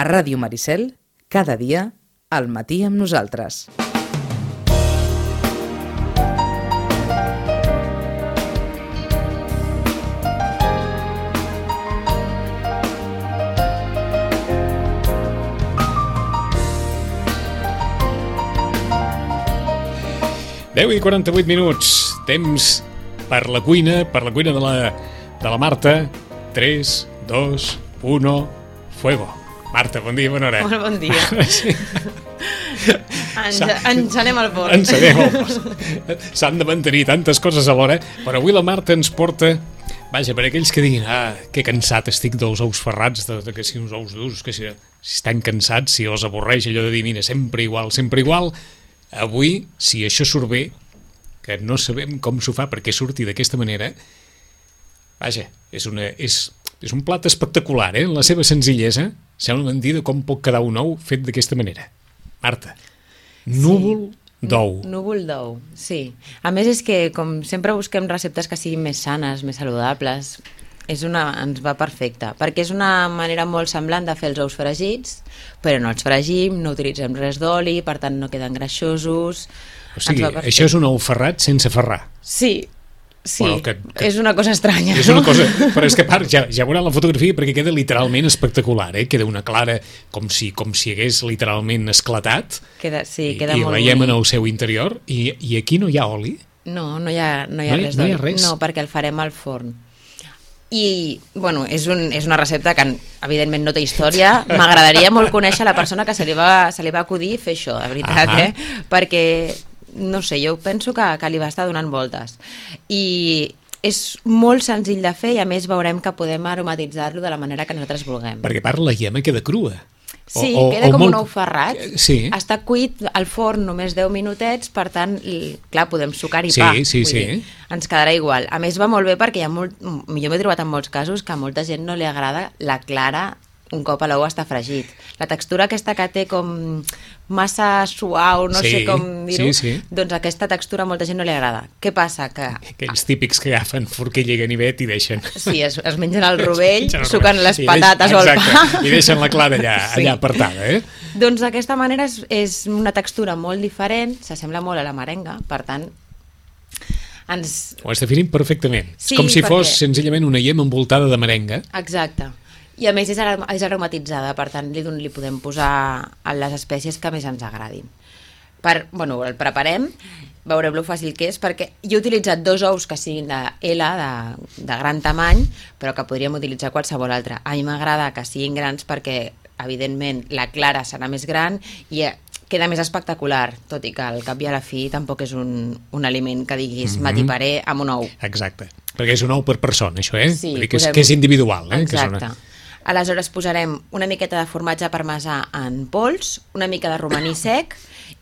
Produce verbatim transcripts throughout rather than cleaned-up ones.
A Ràdio Maricel, cada dia, al matí amb nosaltres. deu i quaranta-vuit minuts, temps per la cuina, per la cuina de la, de la Marta. tres, dos, uno, fuego. Marta, bon dia, bona hora. Molt bon dia. Sí. Ens, engenem el forn. Engenem el forn. S'han de mantenir tantes coses alhora, però avui la Marta ens porta, vaja, per aquells que diguin, ah, que cansat estic dels ous ferrats, de, de que si uns ous durs, que si, si estan cansats, si els avorreix allò de dir, mira, sempre igual, sempre igual. Avui, si això surt bé, que no sabem com s'ho fa perquè surti d'aquesta manera, vaja, és, una, és, és un plat espectacular, eh? En la seva senzillesa, sembla mentida com pot quedar un ou fet d'aquesta manera. Marta, núvol sí. d'ou. Núvol d'ou, sí. A més és que, com sempre busquem receptes que siguin més sanes, més saludables, és una, ens va perfecte, perquè és una manera molt semblant de fer els ous fregits, però no els fregim, no utilitzem res d'oli, per tant no queden greixosos. O sigui, això és un ou ferrat sense ferrar. Sí, sí, bueno, que, que és una cosa estranya. És una cosa, però és que a part, ja, ja veurà la fotografia perquè queda literalment espectacular, eh? Queda una clara com si, com si hagués literalment esclatat, queda, sí, i, queda i molt veiem bonic. en el seu interior, i, i aquí no hi ha oli? No, no hi ha, no hi ha no hi, res no hi d'oli. ha res? No, perquè el farem al forn. I, bueno, és, un, és una recepta que evidentment no té història. M'agradaria molt conèixer la persona que se li va, se li va acudir fer això, de veritat, Ahà. eh? Perquè, no sé, jo penso que, que li va estar donant voltes. I és molt senzill de fer i a més veurem que podem aromatitzar-lo de la manera que nosaltres vulguem. Perquè a part la llama queda crua. Sí, o, o, queda o com molt... un ou ferrat. Sí. Està cuit al forn només deu minutets, per tant, clar, podem sucar i Sí, pa. sí, Vull sí. dir, ens quedarà igual. A més, va molt bé perquè hi ha molt... jo m'he trobat en molts casos que a molta gent no li agrada la clara un cop l'ou està fregit. La textura aquesta que té com massa suau, no Sí, sé com dir-ho, sí, sí. doncs aquesta textura a molta gent no li agrada. Què passa? Que Aquells típics que agafen forquilla i ganivet i deixen... sí, es, es mengen el rovell, Mengen el suquen rovell. les I deix- patates o el pa. exacte, i deixen la clara allà, Sí. allà apartada, eh? Doncs d'aquesta manera és, és una textura molt diferent, s'assembla molt a la merenga, per tant, ens... Ho has definit perfectament. Sí, és com si perquè- fos senzillament una llet envoltada de merenga. Exacte. I a més és, arom és aromatitzada, per tant li, li podem posar a les espècies que més ens agradin. Per, bueno, el preparem, veureu lo fàcil que és, perquè jo he utilitzat dos ous que siguin de L, de, de gran tamany, però que podríem utilitzar qualsevol altre. A mi m'agrada que siguin grans perquè, evidentment, la clara serà més gran i queda més espectacular, tot i que al cap i a la fi tampoc és un, un aliment que diguis Mhm. m'atiparé amb un ou. Exacte. Perquè és un ou per persona, això, eh? Sí, Vull dir que, és, posem- que és individual, eh? Que és Exacte. una... Aleshores posarem una miqueta de formatge parmesà en pols, una mica de romaní sec,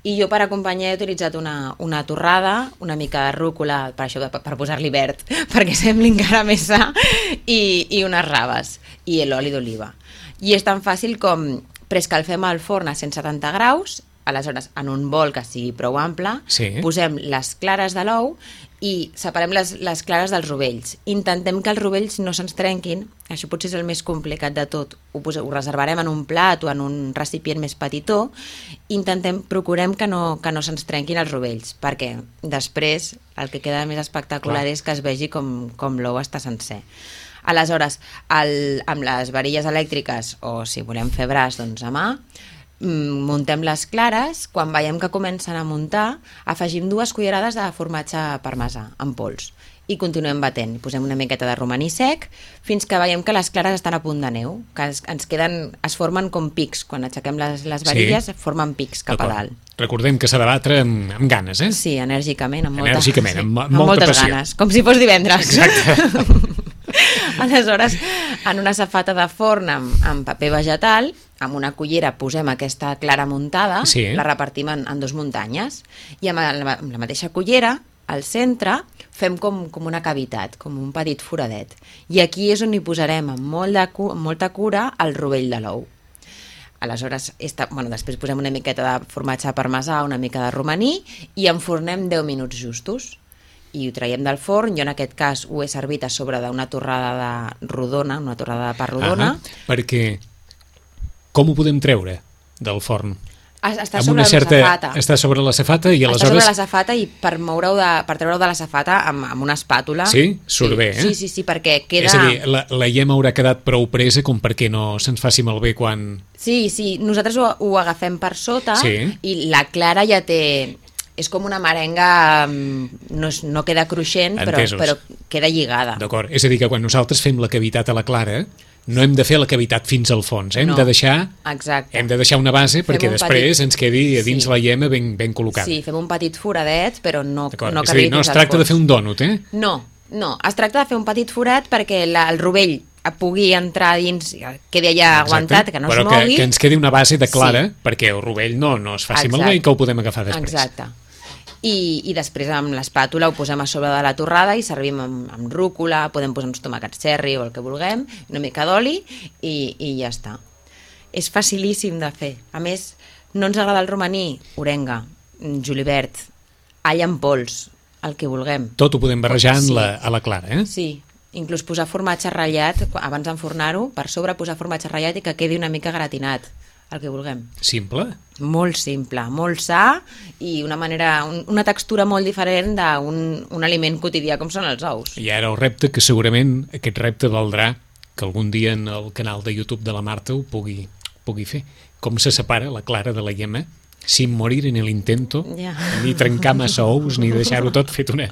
i jo per acompanyar he utilitzat una, una torrada, una mica de rúcula, per això per, per posar-li verd, perquè sembli encara més sa, i, i unes raves, i l'oli d'oliva. I és tan fàcil com preescalfem el forn a cent setanta graus, aleshores en un bol que sigui prou ample, Sí. posem les clares de l'ou i separem les, les clares dels rovells. Intentem que els rovells no se'ns trenquin, això potser és el més complicat de tot. Ho, pos, ho reservarem en un plat o en un recipient més petitó. Intentem, procurem que no, que no se'ns trenquin els rovells, perquè després el que queda més espectacular Clar. és que es vegi com, com l'ou està sencer. Aleshores, el, amb les varilles elèctriques, o si volem fer braç, doncs a mà, muntem les clares, quan veiem que comencen a muntar, afegim dues cullerades de formatge parmesà en pols i continuem batent. Posem una miqueta de romaní sec fins que veiem que les clares estan a punt de neu, que es, ens queden, es formen com pics. Quan aixequem les, les varilles, Sí. formen pics cap a D'acord. dalt. Recordem que s'ha de batre amb, amb ganes, eh? Sí, enèrgicament, amb, molta, Enèrgicament, sí, amb- amb amb molta moltes passió. ganes, com si fos divendres. Exacte. Aleshores, en una safata de forn amb, amb paper vegetal, amb una cullera posem aquesta clara muntada, Sí. la repartim en, en dos muntanyes, i amb la, amb la mateixa cullera, al centre, fem com, com una cavitat, com un petit foradet. I aquí és on hi posarem amb, molt de, cu- amb molta cura el rovell de l'ou. Aleshores, esta, bueno, després posem una miqueta de formatge parmesà, una mica de romaní, i enfornem deu minuts justos. I ho traiem del forn. Jo en aquest cas ho he servit a sobre d'una torrada de rodona, una torrada de pa rodona. Ah, perquè com ho podem treure del forn? Està Amb sobre una certa... la safata. Està sobre la safata i Està aleshores... sobre la safata i per moure-ho de, per treure-ho de la safata amb, amb una espàtula. Sí? Surt sí. bé, eh? Sí, sí, sí, perquè queda... És a dir, la, la llet haurà quedat prou presa com perquè no se'ns faci malbé quan... Sí, sí, nosaltres ho, ho agafem per sota Sí. i la clara ja té... És com una merenga, no, és, no queda cruixent, però, Entesos. però queda lligada. D'acord, és a dir, que quan nosaltres fem la cavitat a la clara, no hem de fer la cavitat fins al fons, eh? hem, No. de deixar, Exacte. hem de deixar una base Fem perquè un després petit- ens quedi a dins Sí. la llema ben, ben col·locada. Sí, fem un petit foradet, però no, D'acord, no és a dir, que no es tracta de fer un dònut, eh? No, no, es tracta de fer un petit forat perquè la, el rovell pugui entrar dins, quedi allà Exacte, aguantat, que no però es mogui. que, que ens quedi una base de clara Sí. perquè el rovell no, no es faci Exacte. malbé i que ho podem agafar després. Exacte. I, i després amb l'espàtula ho posem a sobre de la torrada i servim amb, amb rúcula, podem posar uns tomàquets cherry o el que vulguem, una mica d'oli i, i ja està. És facilíssim de fer. A més, no ens agrada el romaní, orenga, julivert, all en pols, el que vulguem. Tot ho podem barrejar en Sí. la, a la clara, eh? Sí, inclús posar formatge ratllat, abans d'enfornar-ho, per sobre posar formatge ratllat i que quedi una mica gratinat, el que vulguem. Simple. Molt simple, molt sa i una manera, un, una textura molt diferent d'un un aliment quotidià com són els ous. I ara el repte, que segurament aquest repte valdrà que algun dia en el canal de YouTube de la Marta ho pugui, pugui fer. Com se separa la clara de la yema sin morir en el intento, Ja. ni trencar massa ous, ni deixar-ho tot fet una,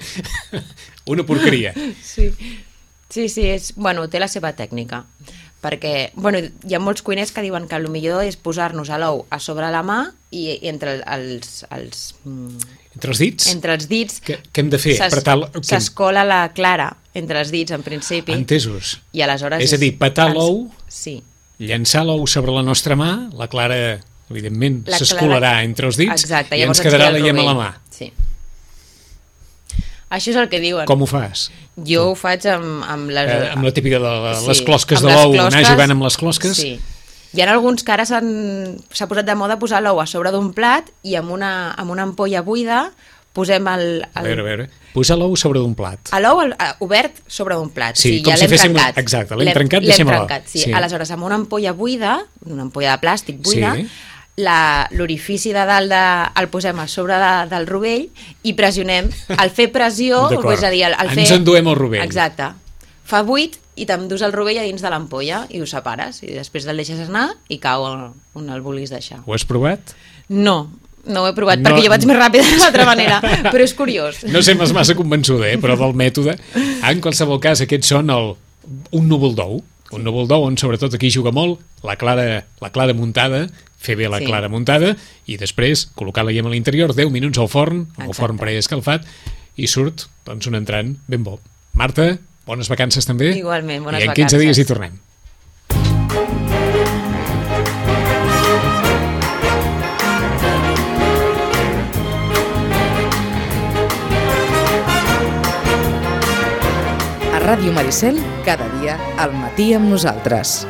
una porqueria. Sí, sí, sí és, bueno, té la seva tècnica. Perquè, bueno, hi ha molts cuiners que diuen que el millor és posar-nos l'ou a sobre la mà i, i entre els, els, mm, Entre els dits? entre els dits Què, què hem de fer? s'es- Apretar l- què- s'escola la clara entre els dits en principi. Entesos. I aleshores És a dir, petar ens- l'ou, Sí. llançar l'ou sobre la nostra mà, la clara, evidentment, La s'escolarà clara- entre els dits Exacte, i ens llavors quedarà queda la el yema a la rovell. mà. Sí. Això és el que diuen. Com ho fas? Jo ho faig amb, amb les... Eh, amb la típica de la, Sí, les closques amb de les l'ou, anar closques, jugant amb les closques? Sí. Hi ha alguns que ara s'han- s'ha posat de moda posar l'ou a sobre d'un plat i amb una, amb una ampolla buida posem el... A el veure, a veure. Posar l'ou sobre d'un plat. a l'ou el- a- obert sobre un plat. Sí, sí com ja si l'hem féssim- trencat. exacte, l'hem trencat, l'hem deixem-la. trencat, sí. Sí. Aleshores, amb una ampolla buida, una ampolla de plàstic buida, Sí. la- l'orifici de dalt de, el posem a sobre de, del rovell i pressionem. Al fer pressió, D'acord. és a dir, al, al fer... Ens enduem el rovell. Exacte. Fa buit i t'endús el rovell a dins de l'ampolla i ho separes. I després el deixes anar i cau on, on el vulguis deixar. Ho has provat? No, no ho he provat, No. perquè jo vaig més ràpida de l'altra manera, però és curiós. No sembles massa convençuda, eh, però del mètode. En qualsevol cas, aquests són el, un núvol d'ou. Un núvol d'ou on sobretot aquí juga molt la clara, la clara muntada, fer bé la Sí. clara muntada i després col·locar la yema a l'interior, deu minuts al forn, amb el Exacte. forn preescalfat i surt doncs, un entrant ben bo. Marta, bones vacances també. Igualment, bones I en quinze vacances. dies hi tornem. A Ràdio Maricel, cada dia al matí amb nosaltres.